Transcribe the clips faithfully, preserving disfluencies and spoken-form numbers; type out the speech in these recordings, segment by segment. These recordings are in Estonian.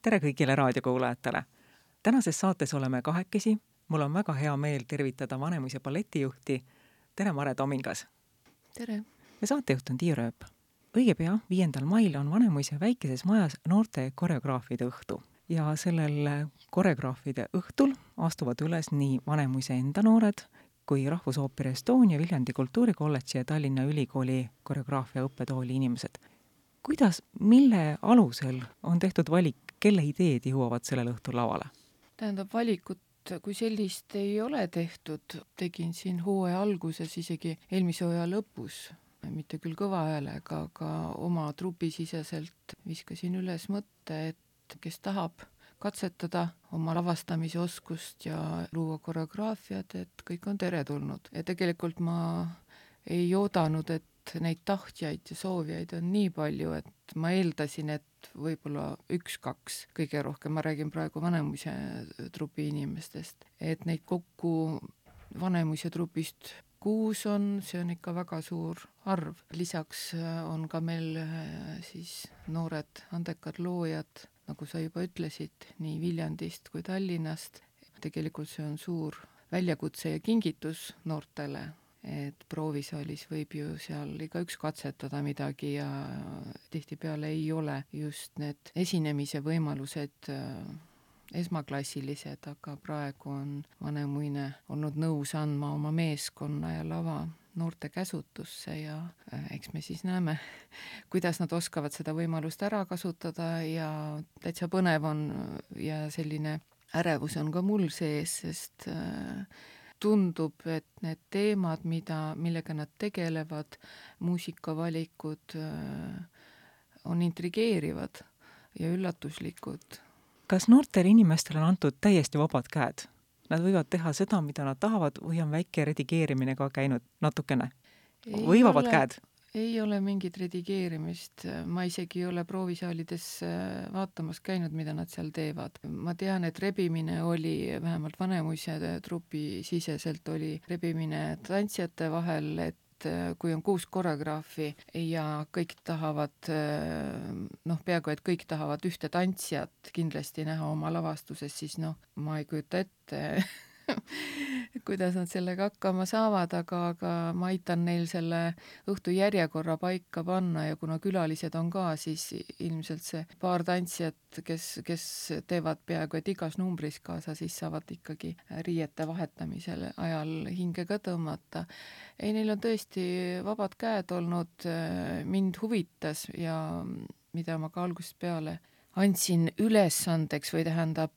tere kõigile raadiokuulajatele! Tänases saates oleme kahekesi. Mul on väga hea meel tervitada Vanemuise balletijuhti. Tere, Mare Tomingas! Tere! Ja saatejuht on Tiia Rööp. Õige pea, viiendal mail on Vanemuise väikeses majas noorte koreograafide õhtu. Ja sellel koreograafide õhtul astuvad üles nii Vanemuise enda noored kui Rahvusooperi Estonia, Viljandi Kultuurikolledži ja Tallinna Ülikooli koreograafia õppetooli inimesed. Kuidas, mille alusel on tehtud valik, kelle ideed jõuavad sellel õhtul lavale? Tähendab, valikut kui sellist ei ole tehtud. Tegin siin hooaja alguses, isegi eelmise hooaja lõpus, mitte küll kõva häälega, aga oma trupisiseselt viskasin üles mõtte, et kes tahab katsetada oma lavastamise oskust ja luua koreograafiat, et kõik on teretulnud. Ja tegelikult ma ei oodanud, et neid tahtjaid ja soovijaid on nii palju, et ma eeldasin, et võib-olla üks-kaks, kõige rohkem, ma räägin praegu Vanemuise trupi inimestest, et neid kokku Vanemuise trupist kuus on, see on ikka väga suur arv. Lisaks on ka meil siis noored andekad loojad, nagu sa juba ütlesid, nii Viljandist kui Tallinnast. Tegelikult see on suur väljakutse ja kingitus noortele, et proovisaalis võib ju seal iga üks katsetada midagi ja tihtipeale ei ole just need esinemise võimalused esmaklassilised, aga praegu on Vanemuine olnud nõus andma oma meeskonna ja lava noorte käsutusse ja eks me siis näeme, kuidas nad oskavad seda võimalust ära kasutada ja täitsa põnev on ja selline ärevus on ka mul sees, sest tundub, et need teemad, mida, millega nad tegelevad, muusikavalikud on intrigeerivad ja üllatuslikud. Kas noortele inimestele on antud täiesti vabad käed? Nad võivad teha seda, mida nad tahavad, või on väike redigeerimine ka käinud natukene? Või vabad käed? Ei ole mingit redigeerimist. Ma isegi ei ole proovisaalides vaatamas käinud, mida nad seal teevad. Ma tean, et rebimine oli, vähemalt Vanemuise trupi siseselt oli rebimine tantsijate vahel, et kui on kuus koreograafi ja kõik tahavad, noh, peaaegu et kõik tahavad ühte tantsijat kindlasti näha oma lavastuses, siis noh, ma ei kujuta ette, kuidas nad sellega hakkama saavad, aga, aga ma aitan neil selle õhtu järjekorra paika panna ja kuna külalised on ka, siis ilmselt see paar tantsijat, kes, kes teevad peaaegu et igas numbris kaasa, siis saavad ikkagi riiete vahetamisel ajal hinge ka tõmmata. Ei, neil on tõesti vabad käed olnud, mind huvitas ja mida ma ka algusest peale andsin ülesandeks või tähendab,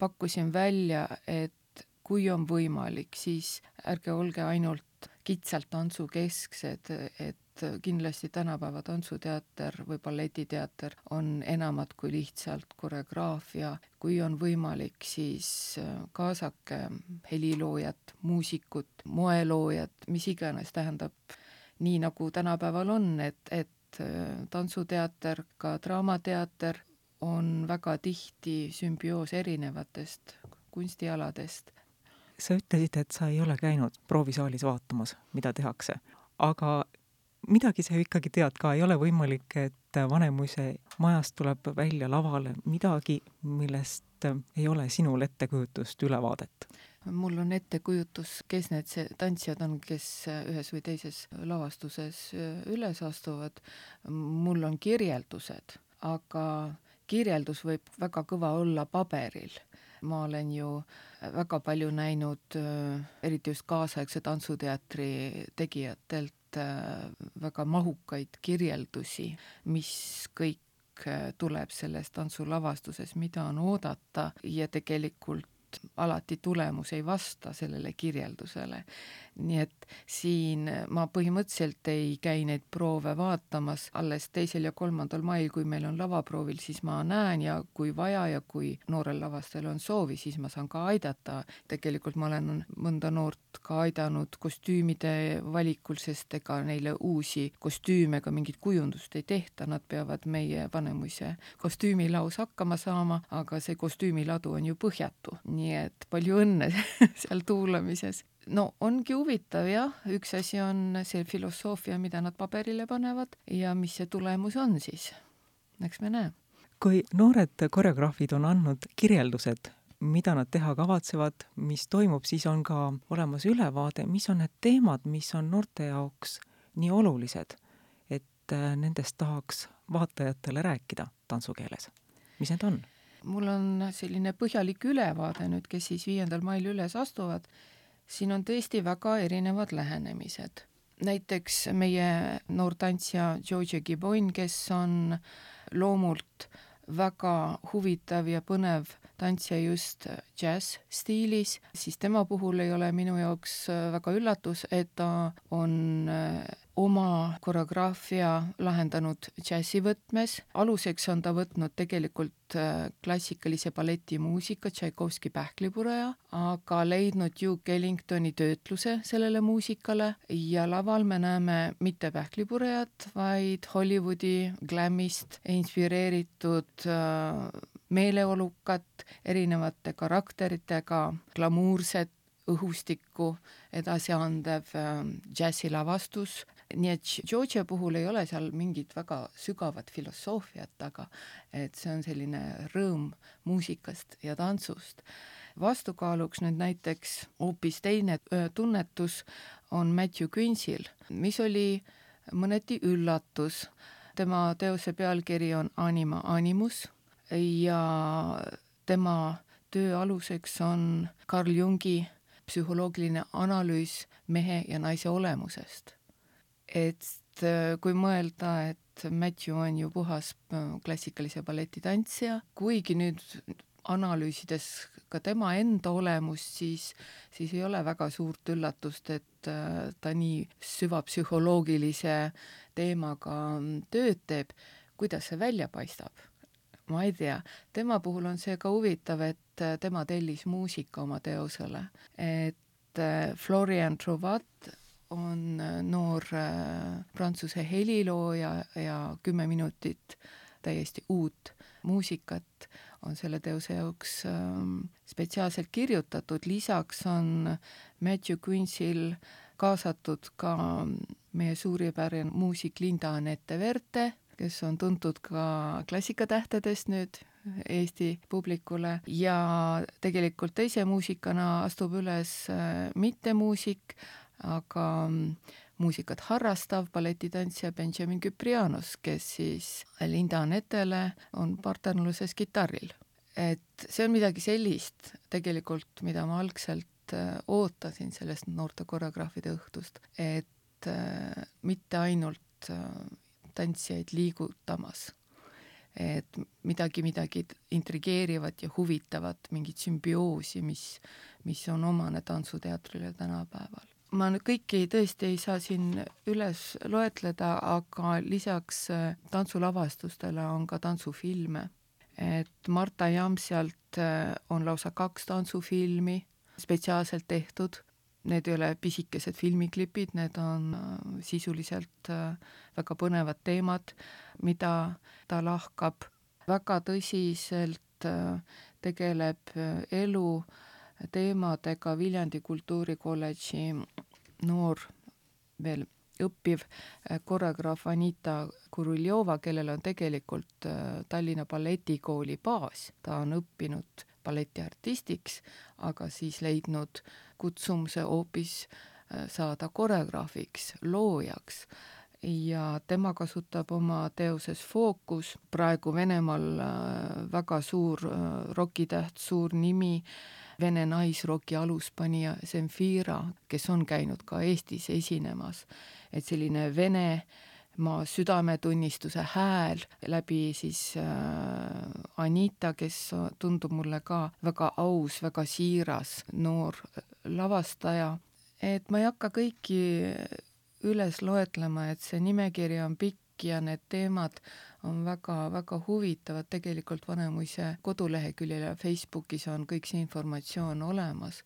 pakkusin välja, et kui on võimalik, siis ärge olge ainult kitsalt tantsu kesksed, et kindlasti tänapäeva tantsuteater või balletiteater on enamat kui lihtsalt koreograafia. Kui on võimalik, siis kaasake heliloojat, muusikut, moeloojat, mis iganes tähendab nii nagu tänapäeval on, et, et tantsuteater, ka draamateater on väga tihti sümbioos erinevatest kunstialadest. Sa ütlesid, et sa ei ole käinud proovisaalis vaatamas, mida tehakse, aga midagi sa ju ikkagi tead ka, ei ole võimalik, et Vanemuise majast tuleb välja lavale midagi, millest ei ole sinul ettekujutust ülevaadet. Mul on ettekujutus, kes need tantsijad on, kes ühes või teises lavastuses üles astuvad. Mul on kirjeldused, aga kirjeldus võib väga kõva olla paberil. Ma olen ju väga palju näinud, eriti just kaasaegse tantsuteatri tegijatelt, väga mahukaid kirjeldusi, mis kõik tuleb selles tantsulavastuses, mida on oodata ja tegelikult alati tulemus ei vasta sellele kirjeldusele. Nii et siin ma põhimõtteliselt ei käi neid proove vaatamas. Alles teisel ja kolmandal mail, kui meil on lavaproovil, siis ma näen ja kui vaja ja kui noorel lavastajal on soovi, siis ma saan ka aidata. Tegelikult ma olen mõnda noort ka aidanud kostüümide valikul, sest ega neile uusi kostüüme ega mingit kujundust ei tehta. Nad peavad meie Vanemuise kostüümilaus hakkama saama, aga see kostüümiladu on ju põhjatu. Nii et palju õnne seal tuulamises. No ongi huvitav, jah. Üks asi on see filosoofia, mida nad paberile panevad ja mis see tulemus on siis. Eks me näe. kui noored koreograafid on andnud kirjeldused, mida nad teha kavatsevad, mis toimub, siis on ka olemas ülevaade, mis on need teemad, mis on noorte jaoks nii olulised, et nendest tahaks vaatajatele rääkida tantsukeeles. Mis need on? Mul on selline põhjalik ülevaade nüüd, kes siis viiendal mail üles astuvad. Siin on tõesti väga erinevad lähenemised. Näiteks meie noor tantsija Georgia Gibbon, kes on loomult väga huvitav ja põnev tantsija just jazz stiilis, siis tema puhul ei ole minu jaoks väga üllatus, et ta on oma koreograafia lahendanud džässi võtmes. Aluseks on ta võtnud tegelikult klassikalise balletimuusika Tšaikovski Pähklipureja, aga leidnud Duke Ellingtoni töötluse sellele muusikale ja laval me näeme mitte Pähklipurejat, vaid Hollywoodi glammist inspireeritud meeleolukat, erinevate karakteritega, glamuurset õhustikku edasi andev džässilavastus. Nii et Georgia puhul ei ole seal mingit väga sügavat filosoofiat, aga et see on selline rõõm muusikast ja tantsust. Vastukaaluks nüüd näiteks hoopis teine tunnetus on Matthew Quincyl, mis oli mõneti üllatus. Tema teose pealkiri on Anima Animus ja tema töö aluseks on Carl Jungi psühholoogiline analüüs mehe ja naise olemusest. Et kui mõelda, et Matthew on ju puhas klassikalise balletitantsija, kuigi nüüd analüüsides ka tema enda olemust, siis, siis ei ole väga suurt üllatust, et ta nii süvapsühholoogilise teemaga tööd teeb. Kuidas see välja paistab? Ma ei tea. Tema puhul on see ka huvitav, et tema tellis muusika oma teosele. Et Florian Trouvat on noor prantsuse helilooja ja kümme minutit täiesti uut muusikat on selle teose jaoks spetsiaalselt kirjutatud. Lisaks on Matthew Quincyl kaasatud ka meie suurepärane muusik Linda Anette Verte, kes on tuntud ka klassikatähtedest nüüd Eesti publikule ja tegelikult teise muusikana astub üles mitte muusik, aga muusikat harrastav balletitantsija Benjamin Kyprianos, kes siis Linda Anetele on partnerluses kitarril. Et see on midagi sellist tegelikult, mida ma algselt ootasin sellest noorte koreograafide õhtust, et mitte ainult tantsijaid liigutamas, et midagi, midagi intrigeerivat ja huvitavat, mingit sümbioosi, mis, mis on omane tantsuteatrile tänapäeval. Ma nüüd kõiki tõesti ei saa siin üles loetleda, aga lisaks tantsulavastustele on ka tantsufilme. Et Marta Jamsialt on lausa kaks tantsufilmi spetsiaalselt tehtud. Need ei ole pisikesed filmiklipid, need on sisuliselt väga põnevad teemad, mida ta lahkab. Väga tõsiselt tegeleb elu teemadega Viljandi kultuurikolledži noor veel õppiv koreograaf Anita Kuruljova, kellel on tegelikult Tallinna balletikooli baas. Ta on õppinud balletiartistiks, aga siis leidnud kutsumuse hoopis saada koreograafiks, loojaks. Ja tema kasutab oma teoses Fookus, praegu Venemaal väga suur rokitäht, suur nimi, Vene naisroki aluspanija Zemfira, kes on käinud ka Eestis esinemas. Et selline Venemaa südametunnistuse hääl läbi siis Anita, kes tundub mulle ka väga aus, väga siiras noor lavastaja. Et ma ei hakka kõiki üles loetlema, et see nimekiri on pikk ja need teemad on väga, väga huvitavad. Tegelikult Vanemuise koduleheküljel ja Facebookis on kõik see informatsioon olemas.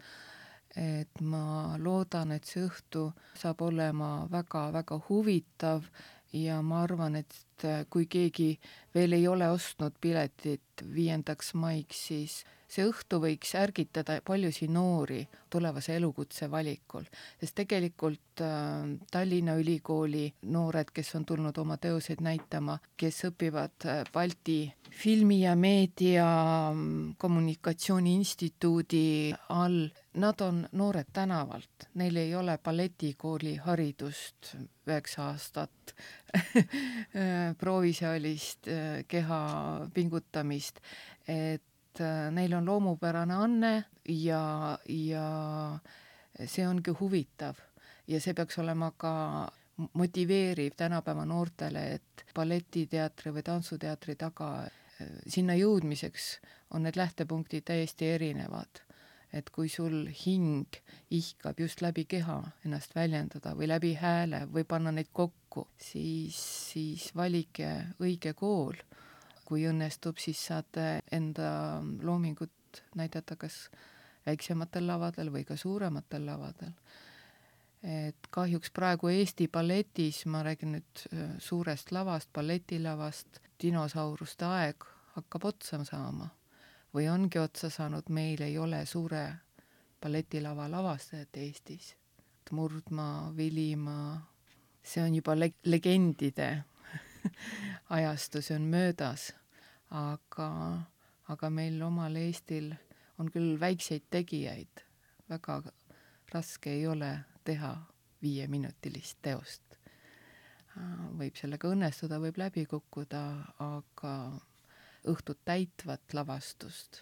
Et ma loodan, et see õhtu saab olema väga, väga huvitav ja ma arvan, et kui keegi veel ei ole ostnud piletit viiendaks maiks, siis see õhtu võiks ärgitada paljusid noori tulevase elukutse valikul, sest tegelikult äh, Tallinna Ülikooli noored, kes on tulnud oma teoseid näitama, kes õpivad äh, Balti filmi- ja meedia kommunikatsiooni instituudi all, nad on noored tänavalt, neil ei ole balletikooli haridust, üheksa aastat proovisaalist keha pingutamist, et neil on loomupärane anne ja, ja see ongi huvitav ja see peaks olema ka motiveeriv tänapäeva noortele, et balletiteatri või tantsuteatri taga sinna jõudmiseks on need lähtepunktid täiesti erinevad. Et kui sul hing ihkab just läbi keha ennast väljendada või läbi hääle või panna neid kokku, siis, siis valike õige kool. Kui õnnestub, siis saate enda loomingut näidata kas väiksematel lavadel või ka suurematel lavadel. Et kahjuks praegu Eesti balletis, ma räägin nüüd suurest lavast, balletilavast, dinosauruste aeg hakkab otsa saama või ongi otsa saanud, meil ei ole suure balletilava lavastajat Eestis. Murdmaa, Vilimaa, see on juba leg- legendide ajastu, see on möödas, aga, aga meil omal Eestil on küll väikseid tegijaid, väga raske ei ole teha viieminutilist teost. Võib sellega õnnestuda, võib läbi kukkuda, aga õhtut täitvat lavastust,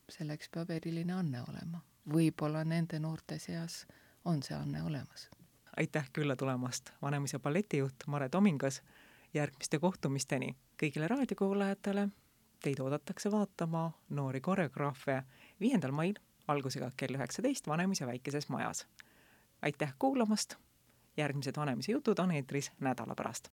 selleks peab eriline anne olema. Võib-olla nende noorte seas on see anne olemas. Aitäh külla tulemast, Vanemuise balletijuht Mare Tomingas. Järgmiste kohtumisteni kõigile raadiokuulajatele. Teid oodatakse vaatama noori koreograafe viiendal mail algusega kell üheksateist Vanemuise väikeses majas. Aitäh kuulamast! Järgmised Vanemuise jutud on eetris nädala pärast.